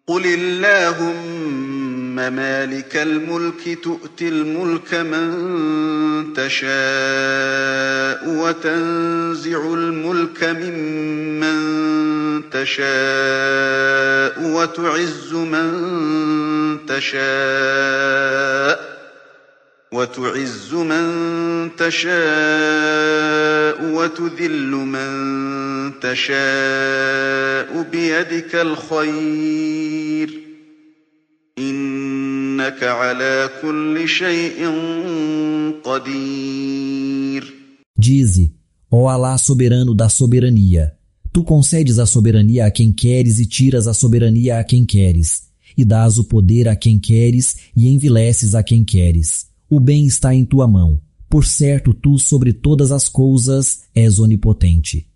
قل اللهم مالك الملك تؤتي الملك من تشاء وتنزع الملك ممن تشاء وتعز من تشاء وتذل من تشاء بيدك الخير إنك على كل شيء قدير. Dize, ó Alá soberano da soberania, tu concedes a soberania a quem queres e tiras a soberania a quem queres, e dás o poder a quem queres e envileces a quem queres. O bem está em tua mão. Por certo, tu sobre todas as coisas és onipotente.